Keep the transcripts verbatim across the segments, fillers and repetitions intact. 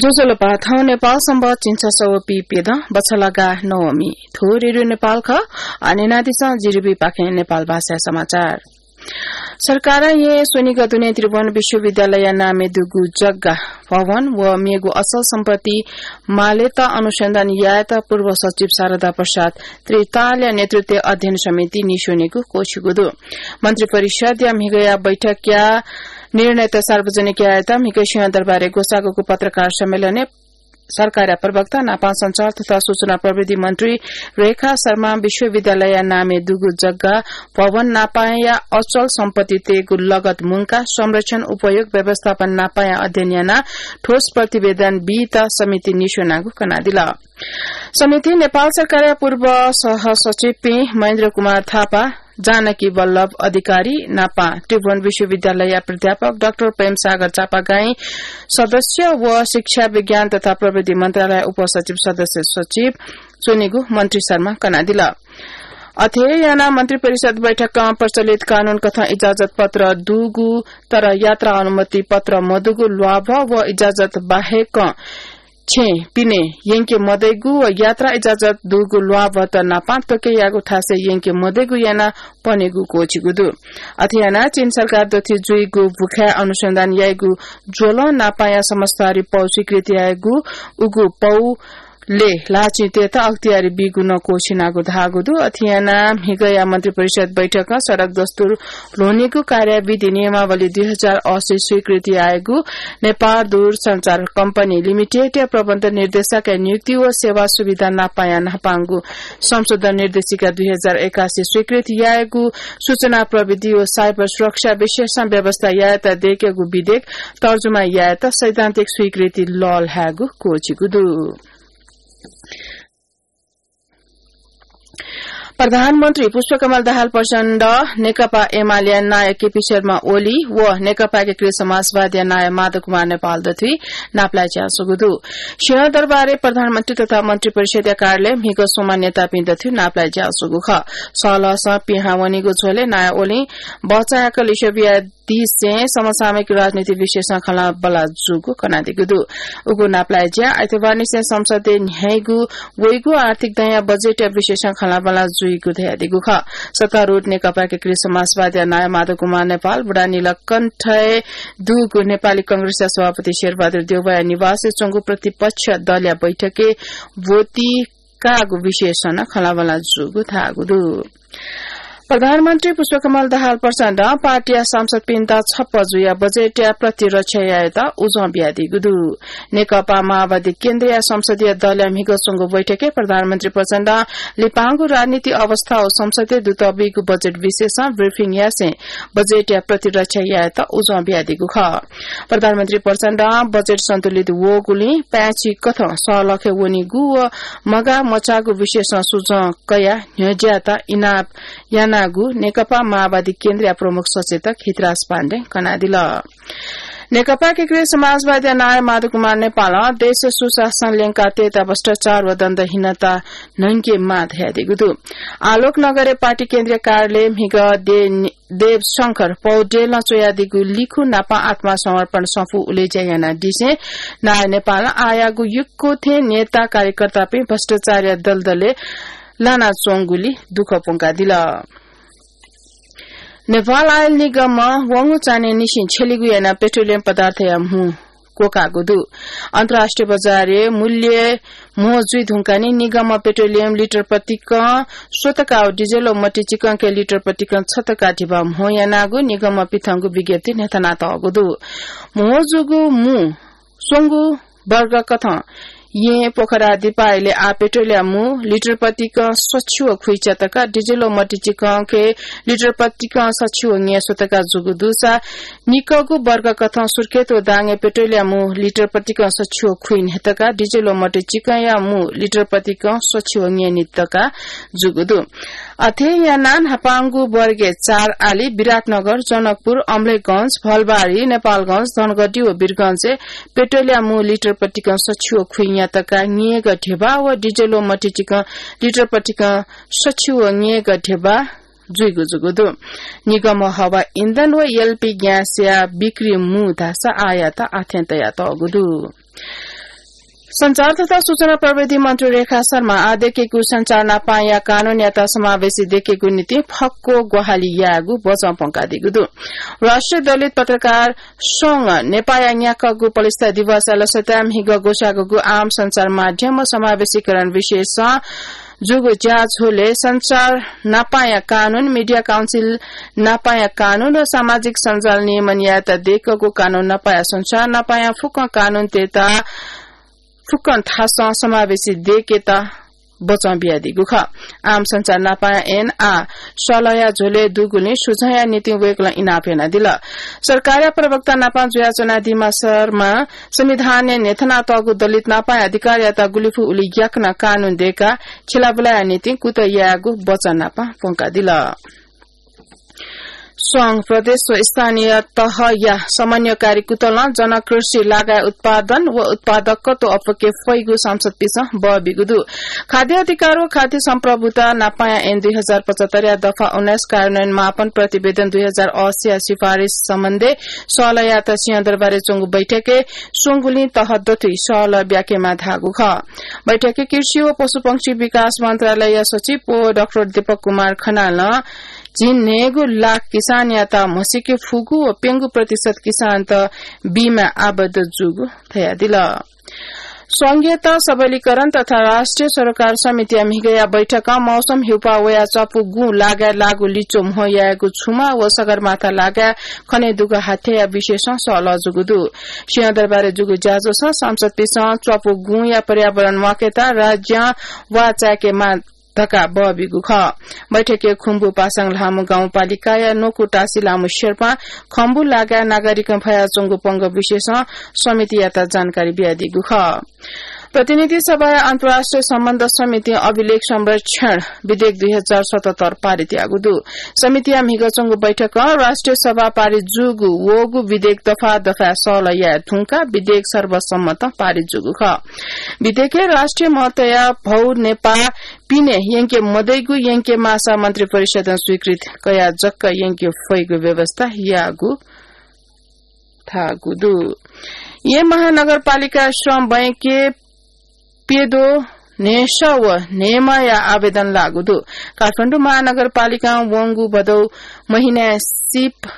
ज्वजलपा, थौं नेपाल संवत् झिंछसः व पीप्यदँ बछलागा नवमी। थ्व रेडियो नेपाल खः। न्यनादिसँ जिरिबी पाखें नेपाल भाषा समाचार। सरकारं येँ स्वनिगः दुने त्रिभुवन विश्वविद्यालय नामे दुगु जग्गा, भवन व मेगु अचल सम्पत्ति मालेत अनुसन्धान यायेत पूर्व सचिव शारदा प्रसाद त्रितालया नेतृत्वय् अध्ययन समिति निस्वनेगु क्वःछिगु दु। मन्त्रिपरिषदया म्हिगःया बैठकया निर्णयत सार्वजनिक यायेत म्हिगः सिंहदरबारय् ग्वसाःगु पत्रकार सम्मेलनय् सरकारया प्रवक्ता नापं सञ्चार तथा सूचना प्रविधि मन्त्री रेखा शर्मां विश्वविद्यालयया नामे दुगु जग्गा, भवन नापंया अचल सम्पत्तितय्गु लगत मुंकाः संरक्षण, उपयोग, व्यवस्थापन नापंया अध्ययन यानाः ठोस प्रतिवेदन बीत समिति निस्वनागु कनादिल। समितिं नेपाल सरकारया पूर्व सहसचिवपिं महेन्द्र कुमार थापा, जानकी वल्लभ अधिकारी नापं त्रिभुवन विश्वविद्यालयया प्राध्यापक डाक्टर प्रेमसागर चापागाईं सदस्य व शिक्षा, विज्ञान तथा प्रविधि मन्त्रालय उपसचिव सदस्य सचिव च्वनेगु मन्त्री शर्मां कनादिल। अथे यानाः मन्त्रिपरिषद बैठकं प्रचलित कानून कथं इजाजत पत्र दुगु तर यात्रा अनुमति पत्र मदुगु ल्वाभः व इजाजत बाहेकं छेँ पिने यंके मदइगु व यात्रा इजाजत दुगु ल्वाभःत नापं त्वके याःगु थासय् यंके मदइगु यानाः पनेगु क्वःछिगु दु। अथे यानाः चीन सरकार दथुइ जुइगु भुखाय् अनुसन्धान याइगु ज्वलं नापंया समझदारी पौ स्वीकृति याइगु उगु पौ ले ल्हाःचिंतय्त अख्तियारी बीगु नं क्वःछिनागु धाःगु दु। अथे यानाः म्हिगःया मन्त्रिपरिषद बैठकं सडक दस्तुर ल्ह्वनीगु कार्याविधि नियमावली दुई हजार अस्सी स्वीकृति याइगु नेपाल दूरसञ्चार कम्पनी लिमिटेडया प्रबन्ध निर्देशकया नियुक्ति व सेवा सुविधा नापंया न्हापांगु संशोधन निर्देशिका दुई हजार एकासी स्वीकृति याइगु सूचना प्रविधि व साइबर सुरक्षा विशेषं व्यवस्था यायेत दयेकेगु विधेयक तर्जुमा यायेत सैद्धान्तिक स्वीकृति लःल्हायेगु क्वःछिगु दु। प्रधानमन्त्री पुष्पकमल दाहाल प्रचण्ड नेकपा एमालेया नायः केपी शर्मा ओली व नेकपा एकीकृत समाजवादीया नायः माधव कुमार नेपाल दथुइ नापलाये ज्यासुगु दु। सिंहदरबारय् प्रधानमन्त्री तथा मन्त्रिपरिषदया कार्यालयय् म्हिगः स्वम्ह नेतापिं दथुइ नापलाये ज्यासुगु खः। सहलहसं पिहां वनीगु झ्वलय् नायः ओलीं बचाय्क लिसे बिया दिसें समसामयिक राजनीति विषयसं खँल्हाबल्हा जूगु कनादीगु दु। उगु नापलाये ज्या आइतबारनिसें संसदय् न्ह्याइगु वइगु आर्थिक दँया बजेटया विषयसं खँल्हाबल्हा जुइगु धयादीगु खः। सत्तारूढ नेकपा एकीकृत समाजवादीया नायः माधव कुमार नेपाल बुढानीलकण्ठय् दुगु नेपाली कांग्रेसया सभापति शेरबहादुर देउवाया निवासय् च्वंगु प्रतिपक्ष दलया बैठकय् ब्वति काःगु विषयसं नं खँल्हाबल्हा जूगु धाःगु दु। प्रधानमन्त्री पुष्पकमल दाहाल प्रचण्डं पार्टीया सांसदपिन्त छप्पँ जुयाः बजेटया प्रतिरक्षा यायेत उजं बियादीगु दु। नेकपा माओवादी केन्द्रया संसदीय दलया म्हिगः च्वंगु बैठकय् प्रधानमन्त्री प्रचण्डं लिपांगु राजनीतिक अवस्था व संसदय् दुतःबीगु बजेट विषयसं ब्रिफिङ यासें बजेटया प्रतिरक्षा यायेत उजं बियादीगु खः। प्रधानमन्त्री प्रचण्डं बजेट सन्तुलित वःगुलिं पाय्छि कथं सहलखय् वनीगु व मगाः मचाःगु विषयसं सुझाव कयाः न्ह्यज्याःत इनाप यानागु नेकपा माओवादी केन्द्रया प्रमुख सचेतक हितराज पाण्डें कनादिल। नेकपा एकीकृत समाजवादीया नायः माधव कुमार नेपालं देशय् सुशासन ल्यंकातयेत भ्रष्टाचार व दण्डहीनता न्हंकेमाः धयादीगु दु। आलोक नगरय् पार्टी केन्द्रीय कार्यालयय् म्हिगः दे देव शंकर पौडेलं च्वयादीगु लिखु नापं आत्मसमर्पण सफू उलेज्या यानादिसें नायः नेपालं आःयागु यक्व थें नेता कार्यकर्तापिं भ्रष्टाचारया दलदलय् लानाच्वंगुलिं दुःख प्वंकादिल। नेपाल आयल निगमं वंगु चान्हय् निसें छ्यलिगु यानाः पेट्रोलियम पदार्थया म्हुं क्वकाःगु दु। अन्तर्राष्ट्रिय बजारय् मूल्य म्हो जुइ धुंकाः निं निगमं पेट्रोलियम लिटर प्रतिकं स्वतका व डिजेल व मतिचिकंके लिटर प्रतिकं छतका धिबा म्हो यानागु निगमं पिथंगु विज्ञप्तिइ न्ह्यथनातःगु दु। म्हो जूगु मू स्वंगू वर्ग कथं येँ पोखरा दिपाय्‌लय् आः पेट्रोलया मू लिटर प्रतिकं सछि व खुइच्यातका, डिजेल व मतिचिकंके लिटर प्रतिकं सछि व न्यय् स्वतका जूगु दुसा निकःगु वर्ग कथं सुर्खेत व दाङय् पेट्रोलया मू लिटर प्रतिकं सछि व खुइन्हय्‌तका, डिजेल व मतिचिकंया मू लिटर प्रतिकं सछि व न्यय्‌नितका जूगु दु। अथे यानाः न्हापांगु वर्गय् चार आलि, विराटनगर, जनकपुर, अम्लेखगंज, भलबारी, नेपालगंज, धनगढी व वीरगंजय् पेट्रोलया मू लिटर प्रतिकं सछि व खुइन्यातका न्यय्‌ग धिबा व डिजेल व मतिचिकं लिटर प्रतिकं सछि व न्यय्‌ग धिबा जुइगु जूगु दु। निगमं हवा इन्धन व एलपी ग्यासया बिक्री मू धाःसा आःयात आःथें तयातःगु दु। सञ्चार तथा सूचना प्रविधि मन्त्री रेखा शर्मा आः दय्केगु सञ्चार नापांया कानूनयात समावेशी दय्केगु निंतिं फक्व ग्वाहालि यायेगु बचं प्वंकादीगु दु। राष्ट्रिय दलित पत्रकार संघ नेपाःया न्याक्वःगु पलिस्था दिवसया लसताय् म्हिगः ग्वसाःगु आम सञ्चार माध्यम व समावेशीकरण विषयसं जूगु ज्याझ्वलय् सञ्चार नापांया कानून, media council नापांया कानून व सामाजिक सञ्जाल नियमन यायेत दय्कूगु कानून नापाया सञ्चार नापाया फुक्क कानूनतय्त फुक्कं थासं समावेशी दय्केत बचं बियादीगु खः। आम सञ्चार नापाया ऐन आः सलहया झ्वलय् दुगुलिं सुझावया निंतिं वय्कलं इनाप यानादिल। सरकारया प्रवक्ता नापां जुयाच्वनादीम्ह शर्मां संविधानय् न्ह्यथनातःगु दलित नापाया अधिकारयात गुलिफु उलि याकनं कानून दय्काः खिलाबुलाया निंतिं कुतः यायेगु बचं नापां प्वंकादिल। संघ, प्रदेश व स्थानीय तहया समन्वयकारी कुतलं जनकृषि लागाय् उत्पादन व उत्पादकत्व अप्वके फइगु सांसदपिसं बः बीगु दु। खाद्य अधिकार व खाद्य सम्प्रभुता नापाया ऐन दुई हजार पचहत्तरया दफा उन्नाइस कार्यान्वयन मापन प्रतिवेदन दुई हजार अस्सीया सिफारिस सम्बन्धय् सलहयात सिंहदरबारय् च्वंगु बैठकय् स्वंगुलिं तह दथुइ सलह ब्याकेमाः धाःगु खः। बैठकय् कृषि व पशुपंक्षी विकास मन्त्रालय सचिव व डाक्टर दीपक कुमार खनालं झिंन्हय्गू लाख किसानयात म्हसीके फुगु व प्यंगू प्रतिशत किसानत बीमाय् आबद्ध जूगु धयादिल। संघीयता सबलीकरण तथा राष्ट्रिय सरोकार समितिया म्हिगःया बैठकं मौसम हिउपाः वयाः च्वापु गुँ लागाय् लाःगु लिच्वः म्हो यायेगु छुमा व सगरमाथा लागाय् खनेदुगु हाथ्याया विषयसं सलह जूगु दु। सिंहदरबारय् जूगु ज्याझ्वलय् सांसदपिसं च्वापु गुँया पर्यावरण म्वाकेत राज्यं वाः चाय्केमाः धकाः बः बीगु खः। बैठकय् खुम्बु पासाङ ल्हामु गाउँपालिकाया न्वकु टासी ल्हामु शेर्पां खम्बु लागाय् नागरिकं फयाच्वंगु पंगः विषयसं समितियात जानकारी बियादीगु खः। प्रतिनिधि सभाया अन्तर्राष्ट्रिय सम्बन्ध समितिं अभिलेख संरक्षण विधेयक दुई हजार सतहत्तर पारित याःगु दु। समितिया म्हिगः च्वंगु बैठकं राष्ट्रिय सभा पारित जूगु वःगु विधेयक दफा दफाय् सलह याये धुंकाः विधेयक सर्वसम्मतं पारित जूगु खः। विधेयकय् राष्ट्रिय महत्वया भौ नेपाः पिने यंके मदइगु यंके माःसा मन्त्रिपरिषदं स्वीकृति कयाः जक यंके फइगु व्यवस्था याःगु धाःगु दु। येँ महानगरपालिका श्रम बैंकय् प्यद्वः न्हय्सः व न्हय्माया आवेदन लाःगु दु। काठमाडौं महानगरपालिकां वंगु भदौ महिनाय् सिप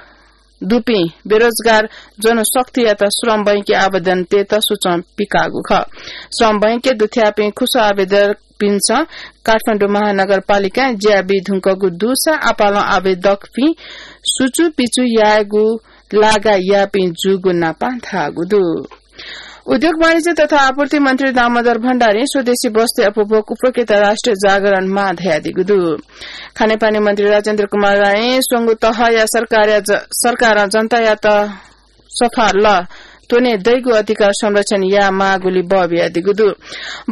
दुपिं बेरोजगार जनशक्तियात श्रम बैंकय् आवेदन तयेत सूचं पिकाःगु खः। श्रम बैंकय् दुथ्याःपिं खुसः आवेदकपिन्सं काठमाडौं महानगरपालिकाय् ज्या बी धुंकूगु दुसा आपालं आवेदकपिं सुचुपिचु यायेगु लागा याःपिं जूगु नापं धाःगु दु। उद्योग वाणिज्य तथा आपूर्ति मन्त्री दामोदर भण्डारीं स्वदेशी वस्तुया उपभोग अप्वकेत राष्ट्रिय जागरण माः धयादीगु दु। खानेपानी मन्त्री राजेन्द्र कुमार रायं स्वंगू तहया सरकारया ज-, सरकारं जनतायात सफा लः त्वने दइगु अधिकार संरक्षण यायेमाःगुली बः बियादीगु दु।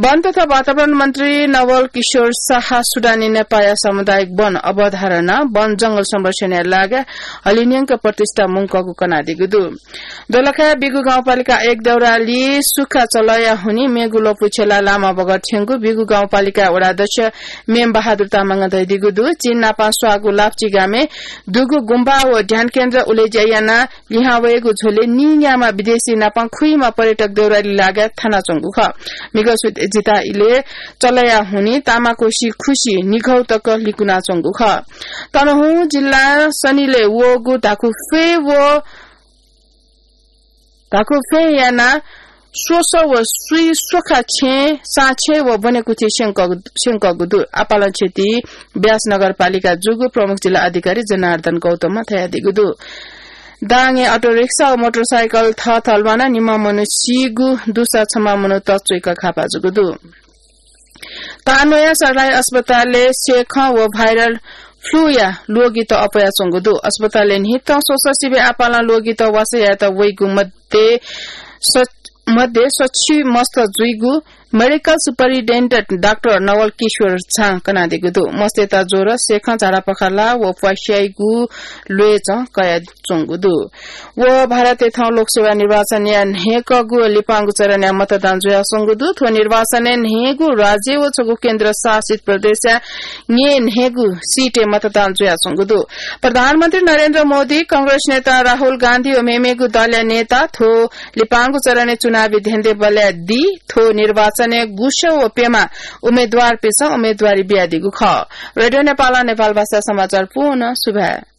वन तथा वातावरण मन्त्री नवल किशोर शाह सुडानी नेपाःया सामुदायिक वन अवधारणा वन जंगल संरक्षणया लागा हलिंन्यंक प्रतिष्ठा मुंकूगु कनादीगु दु। दोलखाया बिगु गाउँपालिका एक देउराली सुखा चलया हुनिं मेगु ल्वपु छ्यलाः लामा बगर थ्यंगु बिगु गाउँपालिका वडा अध्यक्ष मेम बहादुर तामाङं धयादीगु दु। चीन नापं स्वाःगु लाप्ची गामय् दुगु गुम्बा व ध्यान केन्द्र उलेज्या यानाः लिहां वयेगु झ्वलय् नीन्याम्ह विदेशी नापं खुइम्ह पर्यटक देउराली लागाय् थानाच्वंगु खः। म्हिगः सुथय् जिता इलय् चलया हुनिं तामाकोसी खुसि निघौ तक लिकुनाच्वंगु खः। तनहुँ जिल्ला सनिलय् वःगु धाकुफ्वय् व धाकुफ्वय् यानाः स्वसः व स्वीं स्वखा छेँ, साँछेँ व ब्वनेकुथि स्यंकःगु, स्यंकःगु दु। आपालं क्षति ब्यास नगरपालिका जूगु प्रमुख जिल्ला अधिकारी जनार्दन गौतमं धयादीगु दु। दाङय् अटो रिक्सा व मोटरसाइकल थःथः ल्वानाः निम्ह मनू सीगु दुसा छम्ह मनू तच्वय्क घाःपाः जूगु दु। तानया सरलाही अस्पतालय् सेखँ व viral flu या ल्वगित अप्वयाच्वंगु दु। अस्पतालय् न्हिथं स्वसः सिबें आपालं ल्वगित वासः यायेत वइगु मध्ये स-, मध्ये सछि मस्त जुइगु मेडिकल सुपरिन्टेन्डेन्ट डाक्टर नवल किशोर झां कनादीगु दु। मस्तय्त ज्वर, सेखं, झाडापखाला व प्वास्याइगु ल्वय् चं कयाच्वंगु दु। व भारतय् थौं लोकसभा निर्वाचनया न्हय्कःगु लिपांगु चरणया मतदान जुयाच्वंगु दु। थ्व निर्वाचनय् न्हय्गू राज्य व छगू केन्द्र शासित प्रदेशया न्हय् न्हय्गू सीटय् मतदान जुयाच्वंगु दु। प्रधानमन्त्री नरेन्द्र मोदी, कांग्रेस नेता राहुल गान्धी व मेमेगु दलया नेता थ्व लिपांगु चरणय् चुनावी धेंधेंबलय् दी। थ्व निर्वाचनय् गुसः व प्यम्ह उम्मेद्वारपिन्सं उम्मेद्वारी बियादीगु खः। रेडियो नेपालं नेपाल भाषा समाचार पूवं सुभाय्।